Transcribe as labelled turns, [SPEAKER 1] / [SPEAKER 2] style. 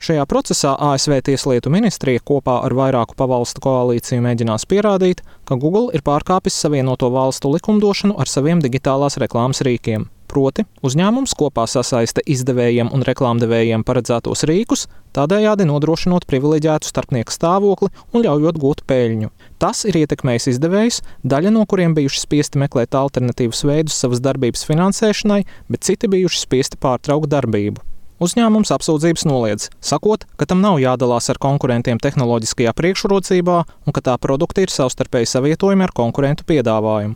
[SPEAKER 1] Šajā procesā ASV Tieslietu ministrija kopā ar vairāku pavalstu koalīciju mēģinās pierādīt, ka Google ir pārkāpis Savienoto valstu likumdošanu ar saviem digitālās reklāmas rīkiem. Proti, uzņēmums kopā sasaista izdevējiem un reklāmdevējiem paredzētos rīkus, tādējādi nodrošinot privileģētu starpnieku stāvokli un ļaujot gūt peļņu. Tas ir ietekmējis izdevējus, daļa no kuriem bijuši spiesti meklēt alternatīvus veidus savas darbības finansēšanai, bet citi bijuši spiesti pārtraukt darbību. Uzņēmums apsūdzības noliedz, sakot, ka tam nav jādalās ar konkurentiem tehnoloģiskajā priekšrocībā un ka tā produkti ir savstarpēji savietojami ar konkurentu piedāvājumu.